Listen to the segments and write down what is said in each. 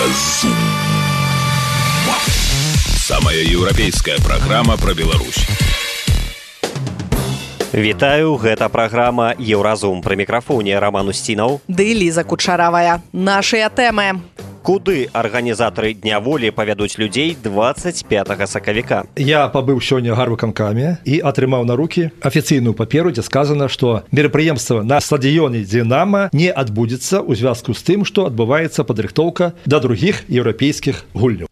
Еўразум. Самая еўрапейская праграма пра Беларусь. Вітаю, гэта праграма «Еўразум». Пры мікрафоне Роман Устінаў ды Ліза Кучаравая. Нашыя тэмы. Куды арганізатары Дня волі павядуць людзей 25 сакавіка? Я пабыў сёння ў гарвыканкаме і атрымаў на рукі афіцыйную паперу, дзе сказана, што мерапрыемства на стадыёне «Динамо» не адбудзецца ў звязку з тым, што адбываецца падрыхтоўка да другіх еўрапейскіх гульняў.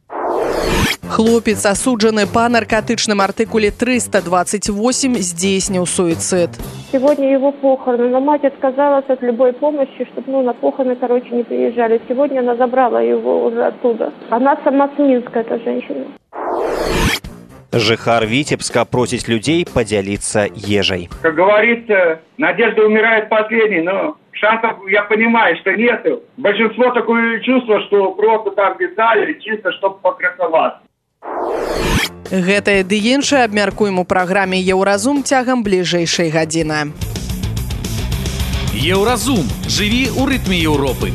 Хлопец, асуджаны по наркотычным артикуле 328, здзейснил суицид. Сегодня его похороны, но мать отказалась от любой помощи, чтобы на похороны, не приезжали. Сегодня она забрала его уже оттуда. Она сама с Минска, эта женщина. Жыхар Витебска просит людей поделиться ежей. Как говорится, надежда умирает последней, но шансов, я понимаю, что нету. Большинство такое чувство, что просто так писали, чисто чтобы покрасоваться. Гэтае ды іншае абмяркуем у праграме «Еўразум» цягам бліжэйшай гадзіны. Еўразум. Жыві ў рытме Еўропы.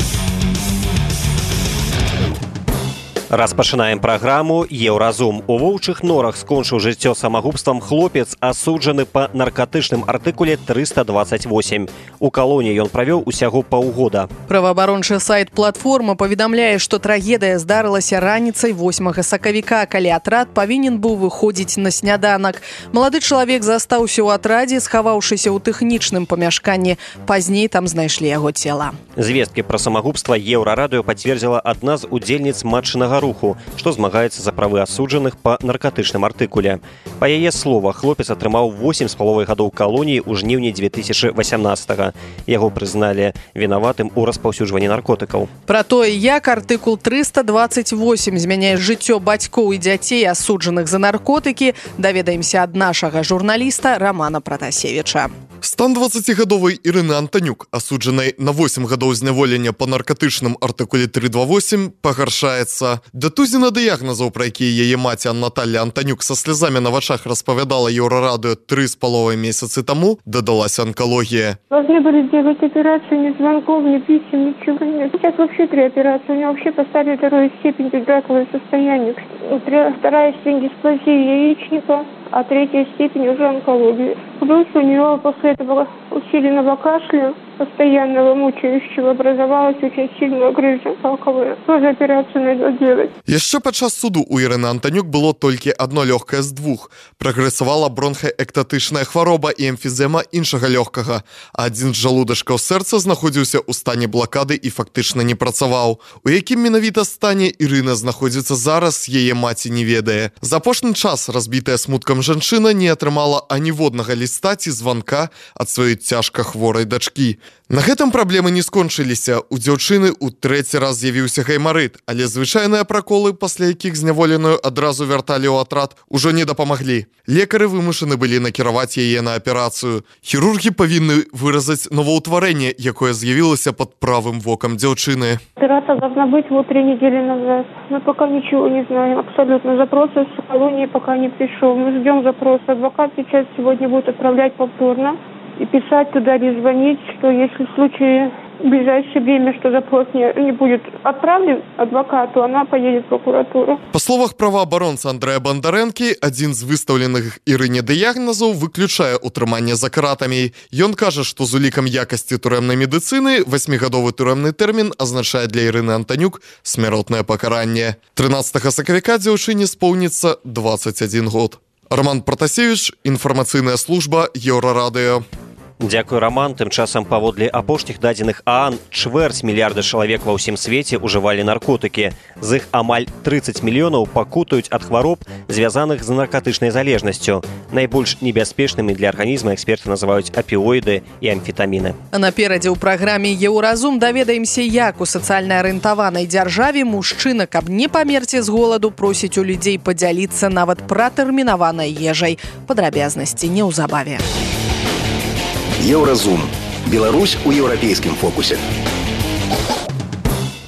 Распачынаем праграму «Еўразум». У Воўчых Норах скончыў жыццё самагубствам хлопец, асуджаны па наркатычным артыкуле 328. У калоніі ён правёў усяго паўгода. Праваабарончы сайт «Платформа» паведамляе, што трагедыя здарылася раніцай 8 сакавіка, калі атрад павінен быў выходзіць на сняданак. Малады чалавек застаўся ў атрадзе, схаваўшыся ў тэхнічным памяшканні. Пазней там знайшлі яго цела. Звесткі пра самагубства Еўрарадыё пацвердзіла адна з удзельніц матчынага руху, што змагаецца за правы асуджаных па наркатычным артыкуле. Па яе словах, хлопец атрымаў 8,5 гадоў калоніі ў жніўні 2018-го. Яго прызналі вінаватым у распаўсюджванні наркотыкаў. Пра тое, як артыкул 328 змяняе жыццё бацькоў і дзяцей, асуджаных за наркотыкі, даведаемся ад нашага журналіста Романа Пратасевіча. Стан 20-гадовай Ірыны Антанюк, асуджанай на 8 гадоў зняволення па наркатычным артыкуле 328, пагаршаецца. Да тузіна дыягназаў, пра якія яе маці Наталья Антанюк са слязамі на вачах распавядала Еўрарадыё 3,5 месяцы таму, дадалася онкология. Должны были сделать операцию, ни звонков, ни писем, ничего нет. Сейчас вообще 3 операции. У него вообще поставили 2-ю степень раковое состояние. 2-я степень дисплазии яичника, а 3-я степень уже онкологии. Плюс у него после этого усиленного кашля, постоянного мучающего, образовалась очень сильная грыжа раковая. Тоже операцию надо делать. Яшчэ падчас суду у Ірыны Антанюк было толькі одно лёгкае з двух. Прагрэсавала бронхаэктатычная хвароба і эмфізема іншага лёгкага. Адзін з жалудачкаў сэрца знаходзіўся ў стане блакады і фактычна не працаваў. У якім менавіта стане Ірына знаходзіцца зараз, яе маці не ведае. За апошні час разбітая смуткам жанчына не атрымала аніводнага ліста ці званка ад сваёй цяжка хворай дачкі. На гэтым праблемы не скончыліся. У дзяўчыны ў 3-й раз з'явіўся гаймарыт, але звычайныя праколы, пасля якіх зняволеную адразу вярталі ў атрад, ужо не дапамаглі. Лекары вымушаны былі накіраваць яе на аперацыю. Хірургі павінны выразаць новаўтварэнне, якое з'явілася пад правым вокам дзяўчыны. Операция должна быть 3 недели назад. Мы пока ничего не знаем. Абсолютно. Запрос из колонии пока не пришел. Мы ждем запроса. Адвокат сейчас сегодня будет отправлять повторно и писать туда или звонить, что если в случае в ближайшее время, что запрос не будет отправлен адвокату, она поедет в прокуратуру. По словах праваабаронца Андрэя Бандарэнкі, адзін з выстаўленых Ірыне дыягназаў выключае утрыманне за кратамі. Ён кажа, што з улікам якасці турэмнай медыцыны 8-гадовы турэмны тэрмін азначае для Ірыны Антанюк смяротнае пакаранне. 13 сакавіка дзяўчыне споўніцца 21 год. Роман Пратасевіч, інфармацыйная служба Еўрарадыё. Дзякуй, Роман. Тым часам паводле апошніх дадзеных ААН, 250 мільярда чалавек ва ўсім свеце ўжывалі наркотыкі. З іх амаль 30 мільёнаў пакутаюць ад хвароб, звязаных з наркатычнай залежнасцю. Найбольш небяспечнымі для арганізма эксперты называюць апіоіды і амфетаміны. Наперадзе ў праграме «Еўразум» даведаемся, як у сацыяльна арыентаванай дзяржаве мужчына, каб не памерці з голаду, просіць у людзей падзяліцца нават пратэрмінаванай ежай. Падрабязнасці неўзабаве. Еўразум. Беларусь у еўрапейскім фокусе.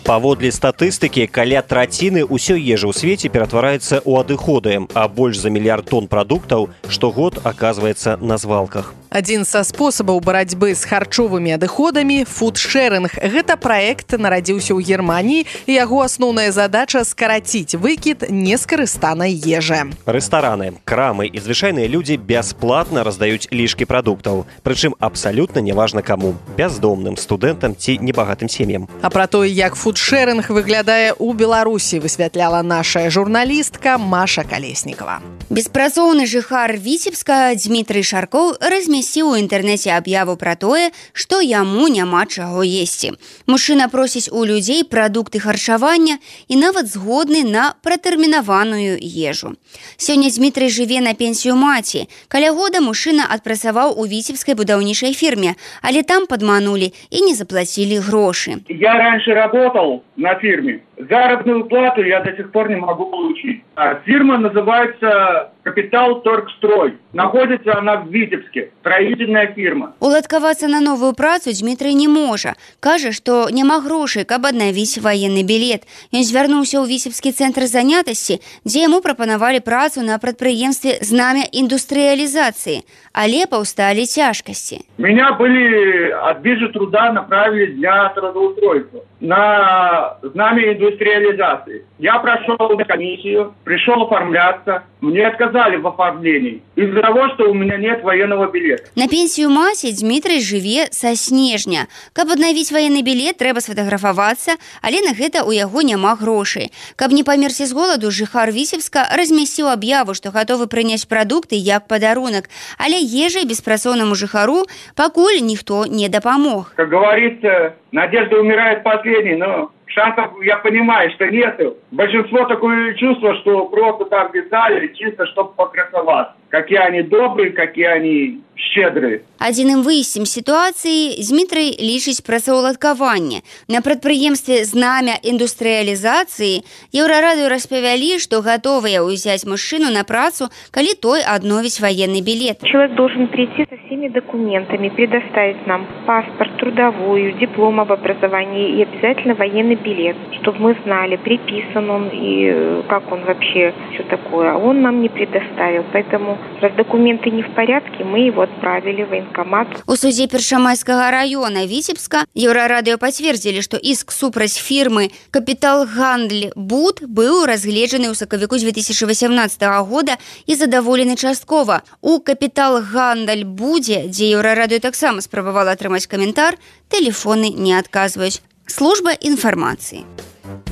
Паводле статыстыкі, каля траціны ўсёй ежы ў свеце ператвараецца ў адыходы, а больш за 1 мільярд тонн прадуктаў штогод аказваецца на звалках. Адзін са спосабаў барацьбы з харчовымі адыходамі – фудшэрынг. Гэта праект нарадзіўся ў Германіі, і яго асноўная задача – скараціць выкід нескарыстанай ежы. Рэстараны, крамы і звычайныя людзі бясплатна раздаюць лішкі прадуктаў. Прычым абсалютна неважна каму – бяздомным, студэнтам ці небагатым сем'ям. А пра тое, як фудшэрынг выглядае ў Беларусі, высвятляла наша журналістка Маша Калеснікова. Беспрацоўны жыхар Віцебска Дмітрый Шаркоў размясціў у інтэрнэце аб'яву пра тое, што яму няма чаго есці. Мужчына просіць у людзей прадукты харчавання і нават згодны на пратэрмінаваную ежу. Сёння Дмітрый жыве на пенсію маці. Каля года мужчына адпрацаваў у віцебскай будаўнічай фірме, але там падманулі і не заплацілі грошы. Я раньше работал на фирме. Заработную плату я до сих пор не могу получить. Фирма называется «Капитал Торгстрой». Находится она в Витебске. Строительная фирма. Уладкавацца на новую працу Дмітрый не можа. Кажа, што няма грошай, каб аднавіць ваенны білет. Ён звярнуўся ў Віцебскі цэнтр занятасці, дзе яму прапанавалі працу на прадпрыемстве «Знамя индустриализации», але паўсталі цяжкасці. Меня были от биржи труда направили для трудоустройства на «Знамя индустриализации». Я прошел комиссию, пришел оформляться. Мне отказали в оформлении из-за того, что у меня нет военного билета. На пенсію маці Дмітрый жыве са снежня. Каб аднавіць ваенны білет, трэба сфатаграфавацца, але на гэта ў яго няма грошай. Каб не памерці з голаду, жыхар Віцебска размясціў аб'яву, што гатовы прыняць прадукты як падарунак, але ежай беспрацоўнаму жыхару пакуль ніхто не дапамог. Как говорится, надежда умирает последней, но шансов, я понимаю, что нету. Большинство такое чувство, что просто так писали, чисто чтобы покрасоваться. Какие они добрые, какие они щедрые. Адзіным выйсцем сітуацыі Дмітрый лічыць працаўладкаванне. На прадпрыемстве «Знамя индустриализации» Еўрарадыё распавялі, што гатовыя ўзяць мужчыну на працу, калі той адновіць военный билет. Человек должен прийти со всеми документами, предоставить нам паспорт, трудовую, диплом об образовании и обязательно военный билет, чтобы мы знали, приписан он и как он вообще, все такое. Он нам не предоставил, поэтому раз документы не в порядке, мы его отправили в военкомат. У судзе Першамайскага района Віцебска Еўрарадыё пацвердзілі, што іск супраць фірмы «Капітал Гандль Буд» быў разгледжаны ў сакавіку 2018 года і задаволены часткова. У «Капітал Гандль Будзе», дзе Еўрарадыё таксама спрабавала атрымаць каментар, тэлефоны не адказваюць. Служба інфармацыі.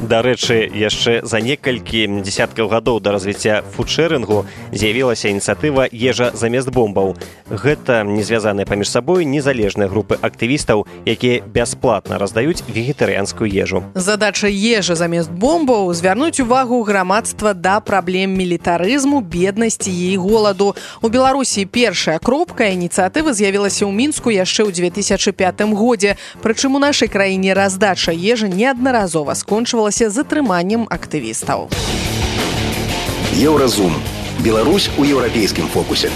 Дарэчы, яшчэ за некалькі дзесяткаў гадоў да развіцця фудшэрынгу з'явілася ініцыятыва «Ежа замест бомбаў». Гэта не звязаныя паміж сабой незалежныя групы актывістаў, якія бясплатна раздаюць вегетарыянскую ежу. Задача «Ежа замест бомбаў» – звярнуць увагу грамадства да праблем мілітарызму, беднасці і голаду. У Беларусі першая кропка ініцыятывы з'явілася ў Мінску яшчэ ў 2005 годзе. Прычым у нашай краіне раздача ежы неаднаразова скончывалася затрыманнем актывістаў. Еўразум. Беларусь у еўрапейскім фокусе.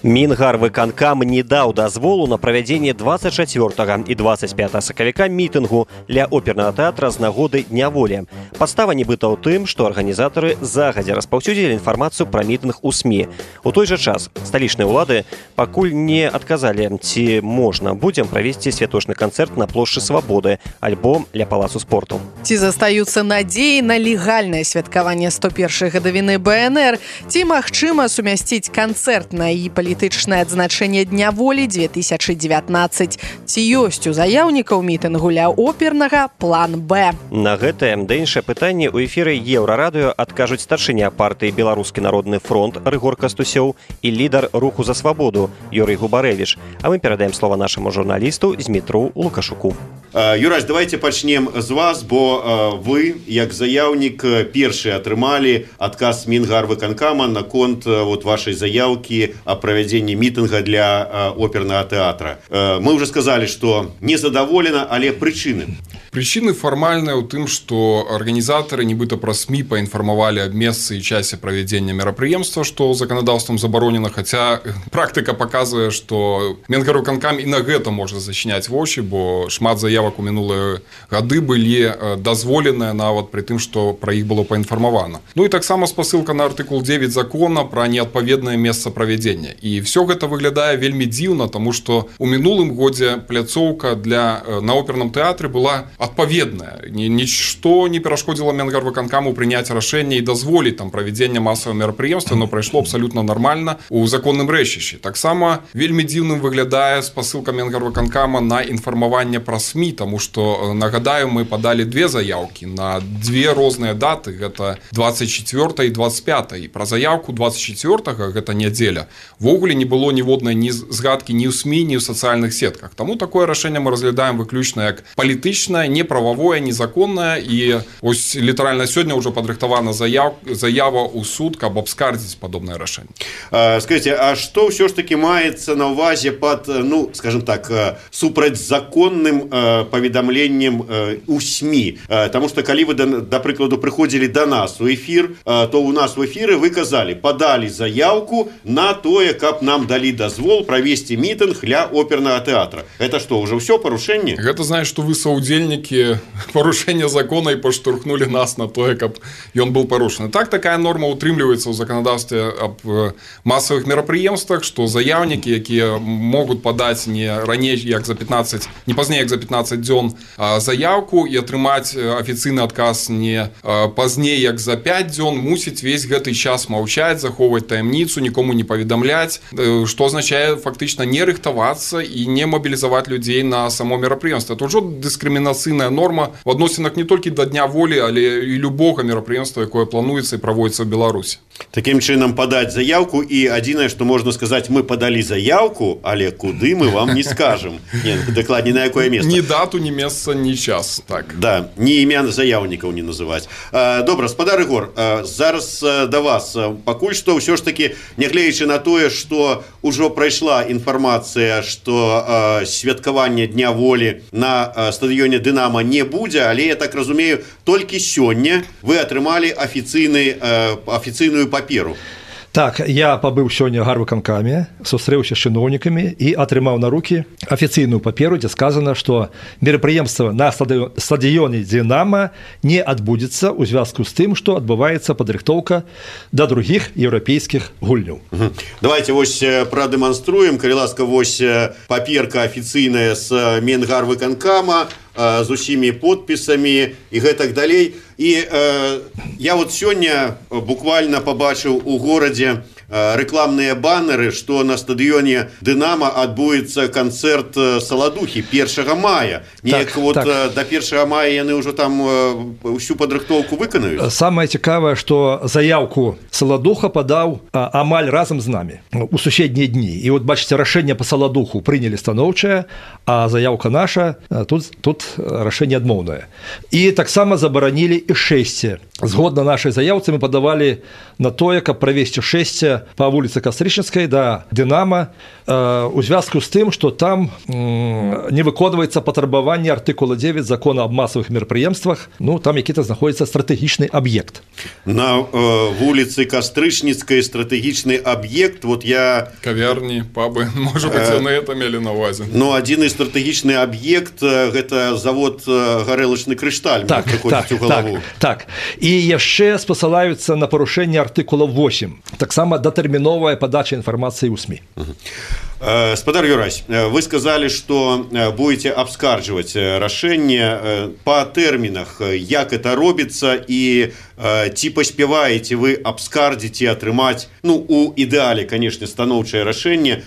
Мінгарвыканкам не даў дазволу на правядзенне 24 і 25 сакавіка мітынгу ля опернага тэатра з нагоды Дня волі. Падстава нібыта ў тым, што арганізатары загадзя распаўсюдзілі інфармацыю пра мітынг у СМІ. У той жа час сталічныя ўлады пакуль не адказалі, ці можна будзем правесці святочны канцэрт на плошчы Свабоды альбо ля палацу спорту. Ці застаюцца надзеі на легальнае святкаванне 101-й гадавіны БНР, ці магчыма сумясціць канцэртнае і палітычнае адзначэнне Дня волі 2019. Ці ёсць у заяўнікаў мітынгу ля опернага план Б? На гэтае да іншае пытанне ў эфіры Еўрарадыё адкажуць старшыня партыі «Беларускі народны фронт» Рыгор Кастусёў і лідар руху за свабоду Юрый Губарэвіч. А мы перадаем слова нашаму журналісту Змітру Лукашуку. Юрась, давайте пачнем з вас, бо вы, як заяўнік, першы атрымалі адказ Мінгарвыканкама наконт вашай заяўкі о правядзенні мітынга для опернага тэатра. Мы уже сказали, что незадаволена, але прычыны. Причины формальные у тым, что организаторы нібыта праз СМИ поинформовали об месцы и часе проведения мероприемства, что законодавством заборонено, хотя практика показывает, что Мінгарвыканкам и на гэта можно зачинять вочы, бо шмат заявок заявак у мінулыя гады былі дазволеныя нават пры тым, што пра іх было паінфармавана. Ну і таксама спасылка на артыкул 9 закона пра неадпаведнае месца правядзення. І все гэта выглядае вельмі дзіўна, таму што у мінулым годзе пляцоўка на оперным тэатры была адпаведная. Нішто не перашкодзіла Менгарвыканкаму прыняць рашэнне і дазволіць там правядзення масавага мерапрыемства, но прайшло абсалютна нармальна у законным рэчышчы. Таксама вельмі дзіўным выглядае спасылка Менгарвыканкама на інфармаванне пра СМІ, таму што, нагадаю, мы падалі две заяўкі на две розныя даты, гэта 24 і 25. І пра заяўку 24-га, гэта нядзеля, вогуле не было ніводнай ні згадкі ні ў СМІ, ні ў сацыяльных сетках. Таму такое рашэнне мы разглядаем выключна як палітычнае, неправавое, незаконнае, і ось літаральна сёння ўжо падрыхтавана заява ў суд, каб абскардзіць падобнае рашэнне. Скажите, а што ўсё ж таки маецца на ўвазе пад, ну, скажем так, супрацьзаконным паведамленнем у СМІ? Таму што калі вы, да прыкладу, прыходзілі да нас у эфір, то у нас в эфіры вы казалі, падалі заяўку на тое, каб нам далі дазвол правесці мітынг ля опернага тэатра. Гэта што, ўжо ўсё парушэнне? Гэта значыць, што вы саўдзельнікі парушэння закона і паштурхнулі нас на тое, каб ён быў парушаны. Так, такая норма утрымліваецца ў заканадаўстве аб масавых мерапрыемствах, што заяўнікі, якія могуць падаць не раней, як за 15, не пазней, як за 15 дзён заяўку і атрымаць афіцыйны адказ не пазней, як за 5 дзён, мусіць весь гэты час маўчаць, захоўваць таямніцу, нікому не паведамляць, што азначае фактычна не рыхтавацца і не мабілізаваць людзей на само мерапрыемства. Это ўжо дыскрымінацыйная норма в адносінах не толькі да Дня волі, але і любога мерапрыемства, якое плануецца і праводзіцца ў Беларусі. Такім чынам падаць заяўку, і адзінае, што можна сказаць, мы падалі заяўку, але куды мы вам не скажам. Дакладней, на якое месца. Ні дату, ні месца, ні час. Так. Да, ні імя заяўнікаў не называць. Добра, спадар Ігор, зараз да вас. Пакуль што ўсё ж такі, нягледзячы на тое, што ўжо прайшла інфармацыя, што святкаванне Дня волі на стадыёне Дынама не будзе, але, я так разумею, толькі сёння вы атрымалі афіцыйную паперу. Так, я пабыў сёння ў гарвыканкаме, сустрэўся з чыноўнікамі і атрымаў на рукі афіцыйную паперу, дзе сказана, што мерапрыемства на стадыёне Дынама не адбудзецца ў звязку з тым, што адбываецца падрыхтоўка да другіх еўрапейскіх гульняў. Давайте вось прадэманструем, калі ласка, вось паперка афіцыйная з Менгарвыканкама, з усімі подпісамі і гэтак далей. І я вот сёння буквально побачыў у горадзе рэкламныя баннеры, што на стадыёне Дынама адбудзецца канцэрт Саладухі 1 мая. Неяк вот до 1 мая яны ўжо там усю падрыхтоўку выканаюць. Самае цікавае, што заяўку Саладуха падаў амаль разам з намі у суседнія дні. І вот бачыце, рашэнне па Саладуху прынялі станоўчае, а заяўка наша тут рашэнне адмоўнае. І таксама забаранілі і шэсце. Згодна нашай заяўцы мы падавалі на тое, каб правесці шэсце па вуліцы Кастрычніцкай да Дынама у звязку з тым, што там не выконваецца патрабаванне артыкула 9 закона аб масавых мерапрыемствах, ну там які-то знаходзіцца стратэгічны аб'ект. На вуліцы Кастрычніцкай стратэгічны аб'ект, вот я... Кавярні, пабы, можа быць, яны это мелі на ўвазе. Ну, адзіны стратэгічны аб'ект, гэта завод гарэлачны крышталь. Так. І яшчэ спасылаюцца на парушэнне артыкула 8. Таксама датэрміновая падача інфармацыі ў СМІ. Спадар Юрась, вы сказали, что будете абскардживать рашэнне по тэрмінах, як это робіцца, і ці паспяваеце вы абскардзіць і атрымаць, ну, у ідэале, конечно, станоўчае рашэнне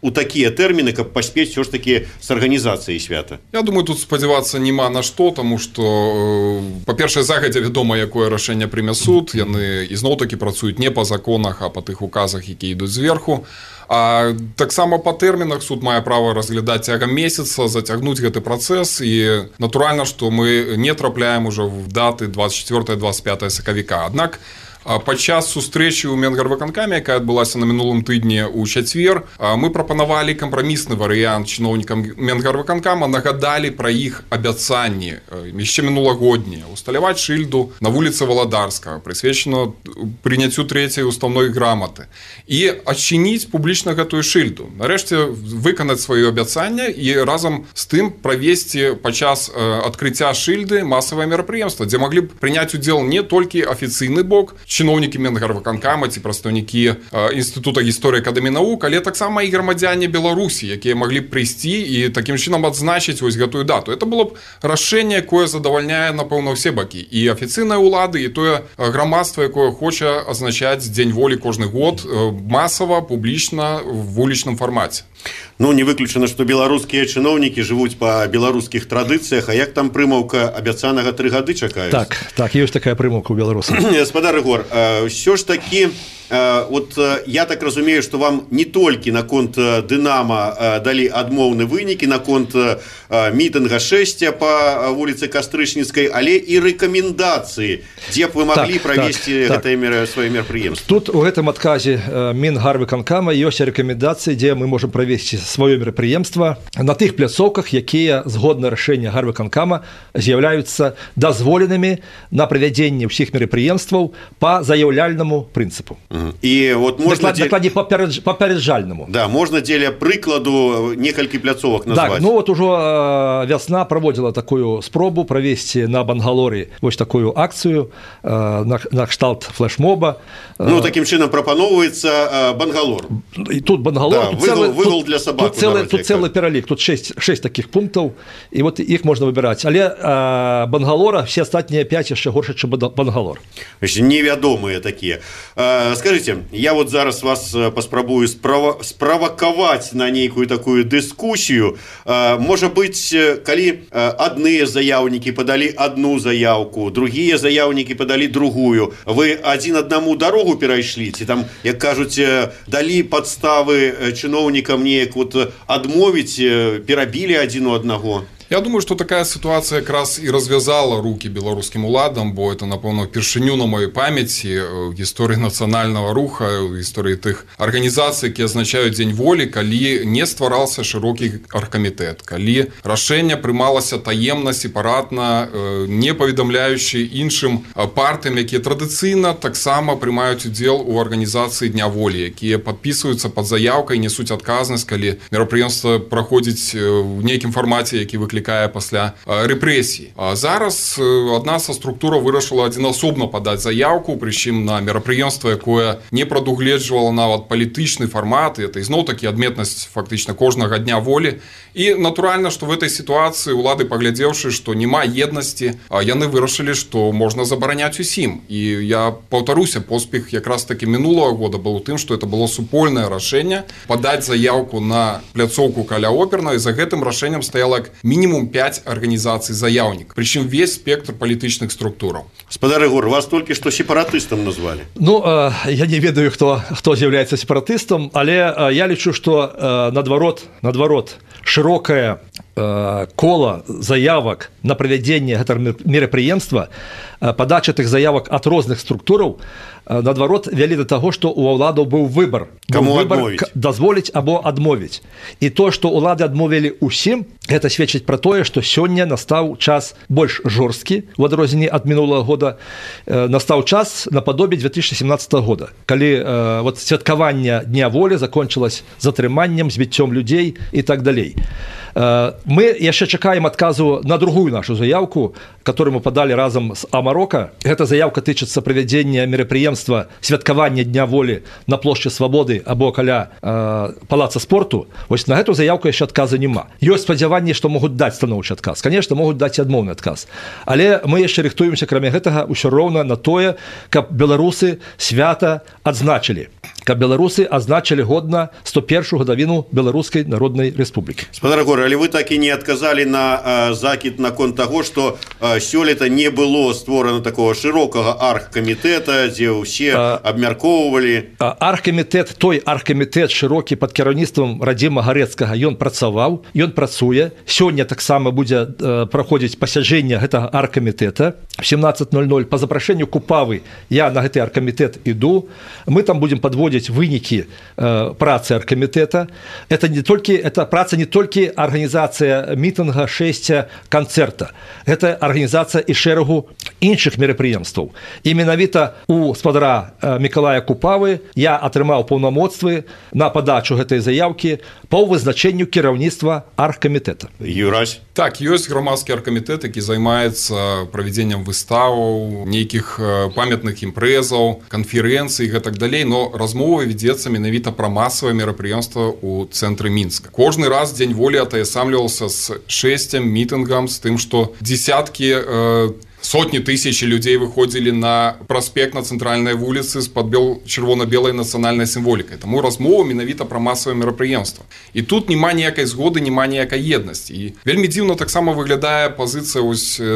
у такія тэрміны, каб паспець все ж таки с арганізацыяй свята? Я думаю, тут спадзявацца няма на што, таму што, па-першае, загадзя вядома, якое рашэнне прыме суд, яны ізноў-такі працуюць не па законах, а па тых указах, якія ідуць зверху. А таксама па тэрмінах суд мае права разглядаць цягам месяца, зацягнуць гэты працэс, і натуральна, што мы не трапляем ужо в даты 24-25 сакавіка. Аднак Падчас сустрэчы ў Менгарвыканкаме, якая адбылася на мінулым тыдні ў чацвер, мы прапанавалі кампрамісны варыянт чыноўнікам Менгарвыканкама, нагадалі пра іх абяцанні яшчэ мінулагоднія усталяваць шыльду на вуліцы Валадарскага, прысвечана прыняццю 3-й уставной граматы і адчыніць публічна гэтую шыльду. Нарэшце выканаць сваё абяцанне і разам з тым правесці падчас адкрыцця шыльды масавае мерапрыемства, дзе маглі б прыняць удзел не толькі афіцыйны бок, чыноўнікі Менгарвыканкама ці прадстаўнікі Інстытута гісторыі акадэміі навук, але таксама і грамадзяне Беларусі, якія маглі б прыйсці і такім чынам адзначыць вось гэтую дату. Это было б рашэнне, якое задавальняе, напэўна, ўсе бакі. І афіцыйныя ўлады, і тое грамадства, якое хоча азначаць Дзень волі кожны год масава, публічна, в вулічным фармаце. Ну, не выключана, што беларускія чыноўнікі жывуць па беларускіх традыцыях, а як там прымаўка абяцанага 3 гады чакаюць? Так, ёсць такая прымаўка ў беларусах. Гаспадар Ігор, ўсё ж такі, вот я так разумею, што вам не толькі наконт Дынама далі адмоўны вынікі, наконт мітынга 6 па вуліцы Кастрычніцкай, але і рэкамендацыі, дзе б вы маглі правесці гэтае сваё мерапрыемства. Тут у гэтым адказе Мінгарвыканкама ёсць рэкамендацыі, дзе мы можам правесці сваё мерапрыемства на тых пляцоўках, якія згодна рашэння Гарвыканкама з'яўляюцца дазволенымі на правядзенне ўсіх мерапрыемстваў па заяўляльнаму прынцыпу. І вот можна дакладней папярэджальнаму. Да, можна дзеля прыкладу некалькі пляцовак назваць. Так, ну вот ужо вясна праводзіла такую спробу правесці на Бангалоры вось такую акцыю на кшталт флешмоба. Ну, такім чынам прапаноўваецца Бангалор. І тут Бангалор, выгул для сабак. Тут цэлы пералік, тут 6 такіх пунктаў, і вот іх можна выбіраць. Але Бангалора, все астатнія 5 яшчэ горш, чым Бангалор. Невядомыя такія. Скажите, я вот зараз вас паспрабую справакаваць на нейкую такую дыскусію. Можа быць, калі адныя заяўнікі падалі адну заяўку, другія заяўнікі падалі другую, вы адзін аднаму дарогу перайшлі, ці там, як кажуць, далі падставы чыноўнікам неяк вот адмовіць, перабілі адзін у аднаго? Я думаю, что такая ситуация как раз и развязала руки белорусским уладам, бо это, напэўна, впершыню на моей памяти в истории национального руха, в истории тых организаций, которые означают День воли, калі не стварался широкі аргкамітэт, калі рашэнне прымалася таемна, сепаратна, не паведамляючы іншым партыям, якія традыцыйна таксама прымаюць удзел у арганізацыі Дня волі, якія падпісваюцца пад заяўкай, несуць адказнасць, калі мерапрыемства праходзіць у нейкім фармаце, які выклікае пасля рэпрэсій. А зараз адна са структура вырашыла адзінасобна падаць заяўку, прычым на мерапрыемства, якое не прадугледжвала нават палітычны фармат, і это ізноў-такі адметнасць фактычна кожнага дня волі. І натуральна, што в этой сітуацыі улады, паглядзеўшы, што няма еднасці, яны вырашылі, што можна забараняць усім. І я паўтаруся, поспех якраз такі мінулага года быў у тым, што это было супольнае рашэнне падаць заяўку на пляцоўку каля опернай, і за гэтым рашэннем стаяла мінімум 5 арганізацый заяўнік, прычым весь спектр палітычных структураў. Гаспадар Ігор, вас толькі што сепаратыстам назвалі. Ну, я не ведаю, хто з'яўляецца сепаратыстам, але я лічу, што наадварот, шырокае кола заявак на правядзенне гэтага мерапрыемства, падача тых заявак ад розных структураў, наадварот, вялі да таго, што ў уладаў быў выбар. Дазволіць або адмовіць. І то, што улады адмовілі ўсім, гэта сведчыць пра тое, што сёння настаў час больш жорсткі, у адрозненні ад мінулага года, настаў час нападобе 2017 года, калі святкаванне Дня волі закончылось затрыманнем, збіццём людзей і так далей. Мы яшчэ чакаем адказу на другую нашу заявку, которую мы падалі разам з Амарока. Гэта заявка тычыцца правядзення мерапрыемства святкавання Дня волі на плошчы Свабоды або каля палаца спорту. Вось на гэту заявку яшчэ адказа няма. Ёсць спадзяванне, што могуць даць станоўчы адказ. Конечно, могуць даць і адмоўны адказ. Але мы яшчэ рыхтуемся, акрамя гэтага, ўсё роўна на тое, каб беларусы свята адзначылі. Каб беларусы адзначылі годна 101-ю гадавіну Беларускай Народнай Рэспублікі. Гаспадар Ігор, але вы так і не адказалі на закід наконт таго, што сёлета не было створана такого шырокага аргкамітэта, дзе ўсе абмяркоўвалі. Той аргкамітэт шырокі пад кіраўніцтвам Радзіма Гарэцкага, ён працаваў, ён працуе. Сёння таксама будзе праходзіць пасяджэнне гэтага аргкамітэта. в 17:00 по запрашэнню Купавы я на гэты аргкамітэт іду. Мы там будем подводить вынікі працы аргкамітэта. Это праца не толькі арганізацыя мітынга, шэсця, канцэрта. Это арганізацыя і шэрагу іншых мерапрыемстваў. І менавіта у спадара Мікалая Купавы я атрымаў паўнамоцтвы на падачу гэтай заяўкі по вызначэнню кіраўніцтва аргкамітэта. Юрась? Так, ёсць грамадскі аргкамітэт, які займаецца правядзеннем выставаў, нейкіх памятных імпрэзаў, канферэнцый і гэтак далей, но размова вядзецца менавіта пра масавае мерапрыемства ў цэнтры Мінска. Кожны раз Дзень волі атаясамліваўся з шэсцем, мітынгам, з тым, што дзесяткі сотні тысячи людей выходзілі на праспект на цэнтральнай вуліцы з-пад чырвона-белай нацыянальнай сімволікай. Таму размова менавіта пра масавае мерапрыемства. І тут няма ніякай згоды, няма ніякай еднасці. І вельмі дзіўна таксама выглядае пазіцыя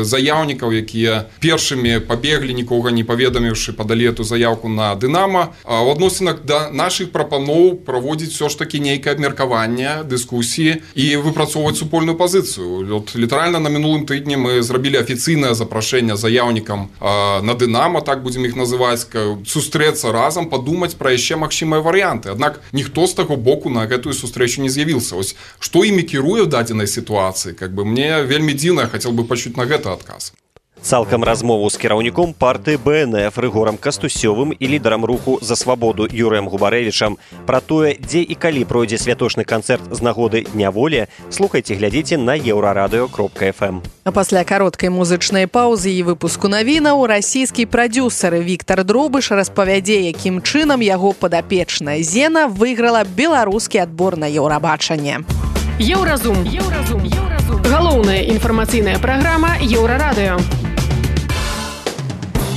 заяўнікаў, якія першымі пабеглі, нікога не паведаміўшы, падалі эту заяўку на Дынама. А ў адносінах да нашых прапаноў праводзіць ўсё ж такі нейкае абмеркаванне, дыскусіі і выпрацоўваць супольную пазіцыю. Літаральна на мінулым тыдні мы зрабілі афіцыйнае запрашэнне заяўнікам на Дынама, так будзем іх называць, сустрэцца разам, падумаць пра яшчэ магчымыя варыянты. Аднак ніхто з таго боку на гэтую сустрэчу не з'явіўся. Ось што імі кіруе ў дадзенай сітуацыі? Мне вельмі дзіўна, я хацеў бы пачуць на гэта адказ. Цалкам размову з кіраўніком партыі БНФ Рыгорам Кастусёвым і лідарам руху «За свабоду» Юрыем Губарэвічам пра тое, дзе і калі пройдзе святочны канцэрт з нагоды Дня волі, слухайце, глядзіце на еўрарадыё.фм. А пасля кароткай музычнай паўзы і выпуску навінаў расійскі прадюсер Віктор Дробыш распавядзе, якім чынам яго падапечная Зена выйграла беларускі адбор на Еўрабачанне. Еўразум. Галоўная інфармацыйная праграма Еўрарадыё.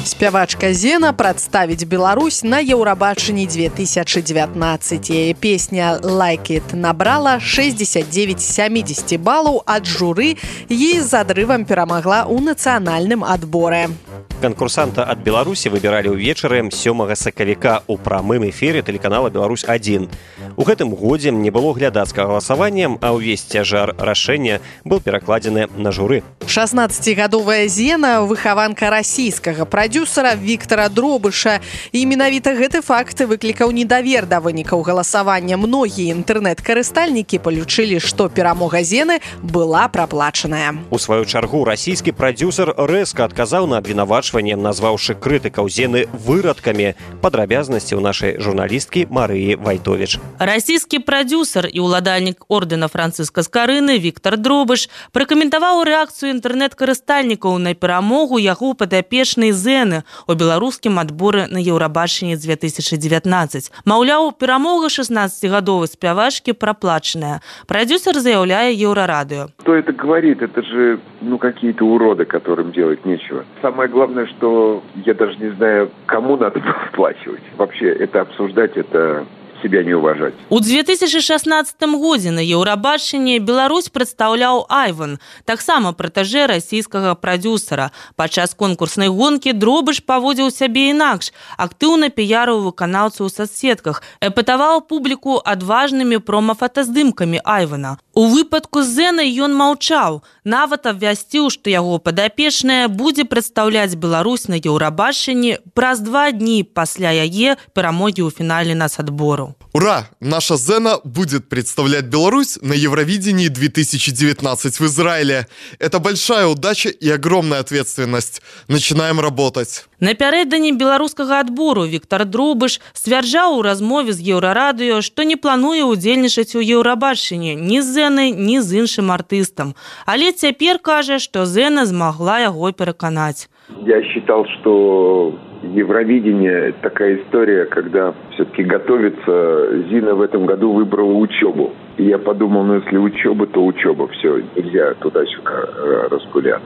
Спявачка Зена прадставіць Беларусь на Еўрабачанні 2019. Песня «Like It» набрала 69 з 70 балаў ад журы і з адрывам перамагла ў нацыянальным адборы. Конкурсанта ад Беларусі выбіралі ўвечары 7 сакавіка ў прамым эфіры тэлеканала «Беларусь-1». У гэтым годзе не было глядацкага галасавання, а ўвесь цяжар рашэння быў перакладзены на журы. 16-гадовая Зена – выхаванка расійскага прадюсера Віктора Дробыша. І менавіта гэты факт выклікаў недавер да вынікаў галасавання. Многія інтэрнэт-карыстальнікі палічылі, што перамога Зены была праплачаная. У сваю чаргу расійскі прадюсер рэзка адказаў на абвінавачванне, назваўшы крытыкаў Зены вырадкамі. Падрабязнасці ў нашай журналісткі Марыі Вайтовіч. Расійскі прадюсер і ўладальнік ордэна Францыска Скарыны Віктор Дробыш пракаментаваў рэакцыю інтэрнэт-карыстальнікаў на перамогу яго падапечнай Зены у беларускім адборы на Еўрабачанні 2019. Маўляў, перамога 16-гадовай спявачкі праплачаная. Прадюсер заяўляе Еўрарадыё. Кто это говорит? Это же, какие-то уроды, которым делать нечего. Самое главное, что я даже не знаю, кому надо выплачивать. Вообще, это обсуждать, это себя не уважать. У 2016 годзе на Еўрабачанні Беларусь прадстаўляў Айван, таксама пратэжэ расійскага прадюсера. Падчас конкурснай гонкі Дробыш паводзіў сябе інакш, актыўна піярыў выканаўцаў у соцсетках, эпатаваў публіку адважнымі прома-фотаздымкамі Айвана. У выпадку з Зенай ён маўчаў, нават абвясціў, што яго падапечная будзе прадстаўляць Беларусь на Еўрабачанні праз 2 дні пасля яе перамогі ў фінале нацадбору. Ура! Наша Зена будет представлять Беларусь на Евровидении 2019 в Израиле. Это большая удача и огромная ответственность. Начинаем работать. Напярэдадні беларускага адбору Віктор Дробыш сцвярджаў у размове з Еўрарадыё, што не плануе ўдзельнічаць у Еўрабачанні ні з Зенай, ні з іншым артыстам. Але цяпер кажа, што Зена змагла яго пераканаць. Я считал, что Евровидение – такая история, когда все-таки готовится. Зина в этом году выбрала учебу. И я подумал, если учеба, то учеба. Все, нельзя туда-сюда распыляться.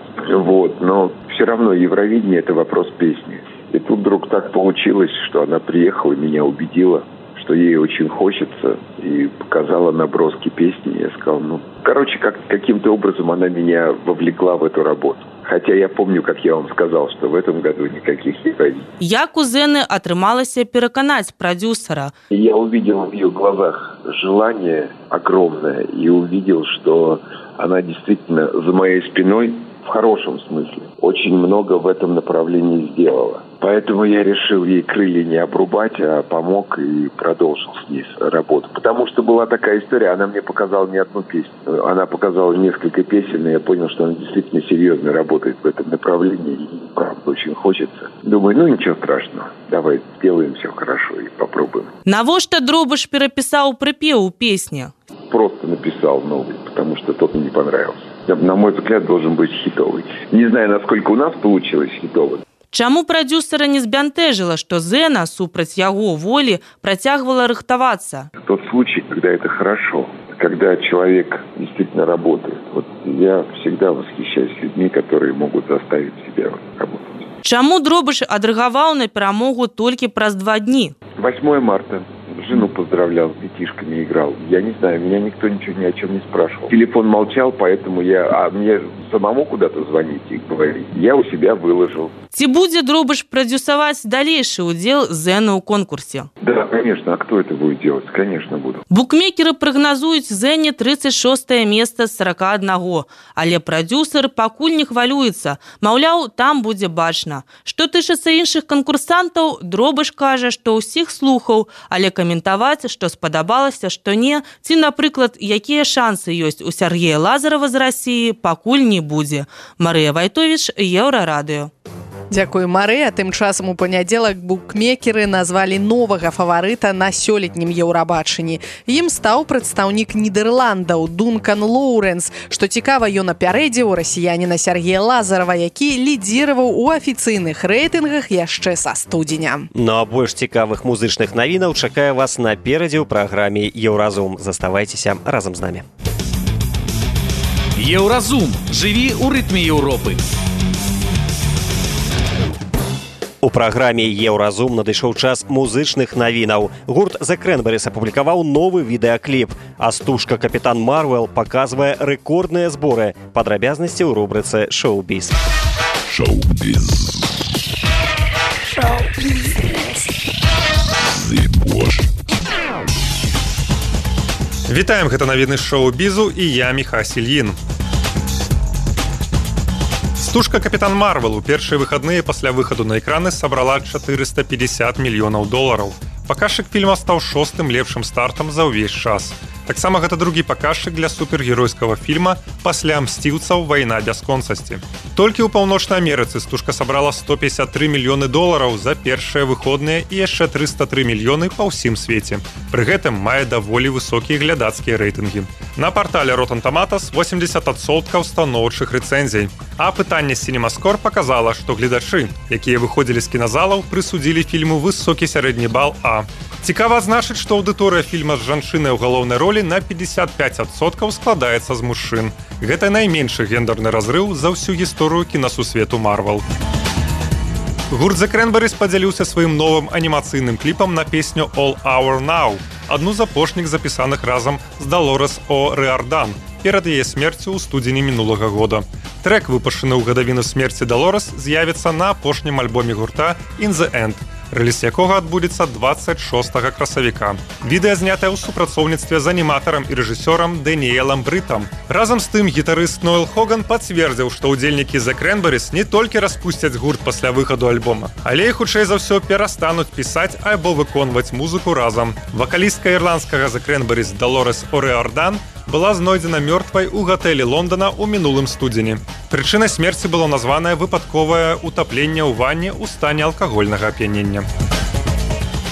Но все равно Евровидение – это вопрос песни. И тут вдруг так получилось, что она приехала и меня убедила, что ей очень хочется, и показала наброски песни. Я сказал, каким-то образом она меня вовлекла в эту работу. Хотя я помню, как я вам сказал, что в этом году никаких Евровидений. Як у Зены атрымалася пераканаць прадюсера? Я увидел в ее глазах желание огромное и увидел, что она действительно за моей спиной в хорошем смысле, очень много в этом направлении сделала. Поэтому я решил ей крылья не обрубать, а помог и продолжил с ней работу. Потому что была такая история, она мне показала не одну песню. Она показала несколько песен, и я понял, что она действительно серьезно работает в этом направлении. И правда очень хочется. Думаю, ничего страшного. Давай сделаем все хорошо и попробуем. Навошта Дробыш перапісаў прыпеў у песні? Просто написал новый, потому что тот мне не понравился. На мой взгляд, должен быть хитовый. Не знаю, насколько у нас получилось хитовый. Чаму прадюсера не збянтэжыла, што Зена, супраць яго волі, працягвала рыхтавацца? Тот случай, когда это хорошо, когда человек действительно работает. Вот я всегда восхищаюсь людьми, которые могут заставить себя работать. Чаму Дробыш адрэагаваў на перамогу толькі праз 2 дні? 8 марта. Жену поздравлял, с детишками играл. Я не знаю, меня никто ничего ни о чем не спрашивал. Телефон молчал, поэтому мне самому куда-то звонить и говорить. Я у себя выложил. Ці будзе Дробыш прадюсаваць далейшы ўдзел Зены ў конкурсе? Да, конечно. А кто это будет делать? Конечно, буду. Букмекеры прагназуюць Зене 36-е месца з 41, але прадюсер пакуль не хвалюецца. Маўляў, там будзе бачна. Што тычыцца іншых канкурсантаў, Дробыш кажа, што ўсіх слухаў, але каментаваць, што спадабалася, што не, ці, напрыклад, якія шансы ёсць у Сергея Лазарова з Расіі, пакуль не будзе. Марыя Вайтовіч, Еўрарадыё. Дзякую, Марыя. Тым часам у панядзелак букмекеры назвалі новага фаварыта на сёлетнім Еўрабачанні. Ім стаў прадстаўнік Нідерландаў Дункан Лоуренс. Што цікава, ён апярэдзіў расіяніна Сергея Лазарова, які лідзіраваў у афіцыйных рэйтынгах яшчэ са студзеня. Ну а больш цікавых музычных навінаў чакае вас наперадзе ў праграме Еўразум. Заставайцеся разам з намі. Еўразум. Жыві ў рытме Еўропы. У праграме Еўразум надышоў час музычных навінаў. Гурт The Cranberries апублікаваў новы відэакліп, а стужка «Капітан Марвел» паказвае рэкордныя зборы. Падрабязнасці ў рубрыцы «Шоу-біз». Шоу-біз. Вітаем, гэта навіны шоу-бізу і я, Міха Сільін. Стужка «Капітан Марвел» у першыя выхадныя пасля выхаду на экраны сабрала 450 мільёнаў долараў. Паказчык фільма стаў 6-м лепшым стартам за ўвесь час. Таксама гэта другі паказчык для супергеройскага фільма пасля «Мсціўцаў. Вайна бясконцасці». Толькі ў Паўночнай Амерыцы стужка сабрала 153 мільёны долараў за першыя выходныя і яшчэ 303 мільёны па ўсім свеце. Пры гэтым мае даволі высокія глядацкія рэйтынгі. На партале Rotten Tomatoes 80% станоўчых рэцэнзій. А апытанне «Сінемаскор» паказала, што гледачы, якія выходзілі з кіназалаў, прысудзілі фільму высокі сярэдні бал А. Цікава адзначыць, што аўдыторыя фільма з жанчынай у галоўнай ролі на 55% складаецца з мужчын. Гэта найменшы гендерны разрыў за ўсю гісторыю кінасусвету Марвел. Гурт The Cranberries падзяліўся сваім новым анімацыйным кліпам на песню «All Our Now», адну з апошніх запісаных разам з Долорес О'Риардан перад яе смерцю ў студзені мінулага года. Трэк, выпушчаны ў гадавіну смерці Долорес, з'явіцца на апошнім альбоме гурта «In the End», рэліз якога адбудзецца 26 красавіка. Відэа знятае ў супрацоўніцтве з аніматарам і рэжысёрам Дэніэлам Брытам. Разам з тым гітарыст Ноэл Хоган пацвердзіў, што ўдзельнікі The Cranberries не толькі распусцяць гурт пасля выхаду альбома, але і хутчэй за ўсё перастануць пісаць альбо выконваць музыку разам. Вакалістка ірландскага The Cranberries Долорес О'Риардан была знойдзена мёртвай у гатэлі Лондона ў мінулым студзені. Прычынай смерці было названае выпадковае утапленне ў ванне ў стане алкагольнага ап'янення.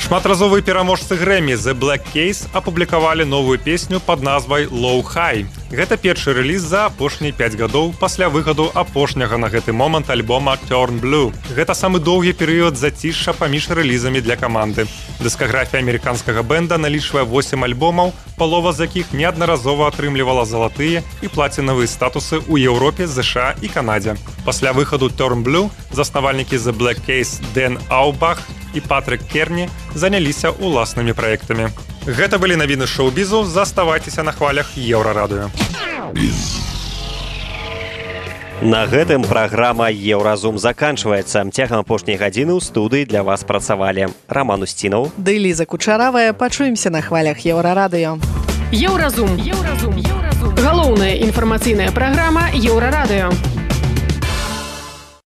Шматразовыя пераможцы Грэмі The Black Keys апублікавалі новую песню пад назвай «Low High». Гэта першы рэліз за апошнія 5 гадоў пасля выхаду апошняга на гэты момант альбома «Turn Blue». Гэта самы доўгі перыяд зацішша паміж рэлізамі для каманды. Дыскаграфія амерыканскага бэнда налічвае 8 альбомаў, палова з якіх неаднаразова атрымлівала залатыя і плацінавыя статусы ў Еўропе, ЗША і Канадзе. Пасля выхаду «Turn Blue» заснавальнікі The Black Keys Дэн Аубах і Патрик Керні заняліся ўласнымі праектамі. Гэта былі навіны шоу-бізу. Заставайцеся на хвалях Еўрарадыё. На гэтым праграма Еўразум заканчваецца. Цягам апошняй гадзіны ў студыі для вас працавалі Раман Устінаў ды Ліза Кучаравая. Пачуемся на хвалях Еўрарадыё. Еўразум. Галоўная інфармацыйная праграма Еўрарадыё.